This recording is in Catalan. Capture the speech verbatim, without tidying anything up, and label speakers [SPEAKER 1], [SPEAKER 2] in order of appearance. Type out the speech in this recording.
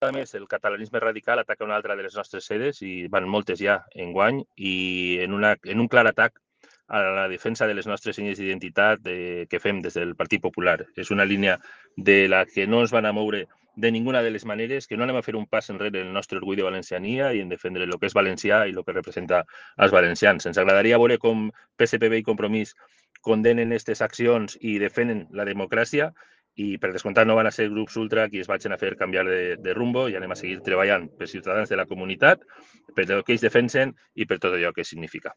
[SPEAKER 1] A més, el catalanisme radical ataca una altra de les nostres sedes, i van moltes ja enguany, i en, una, en un clar atac a la defensa de les nostres senyes d'identitat eh, que fem des del Partit Popular. És una línia de la que no ens van a moure de ninguna de les maneres, que no anem a fer un pas enrere en el nostre orgull de valenciania i en defendre el que és valencià i el que representa els valencians. Ens agradaria veure com P S P B i Compromís condenen aquestes accions i defenen la democràcia, i per descomptat no van a ser grups ultra qui es vagin a fer canviar de, de rumbo, i anem a seguir treballant per ciutadans de la comunitat, per el que ells defensen i per tot allò que significa.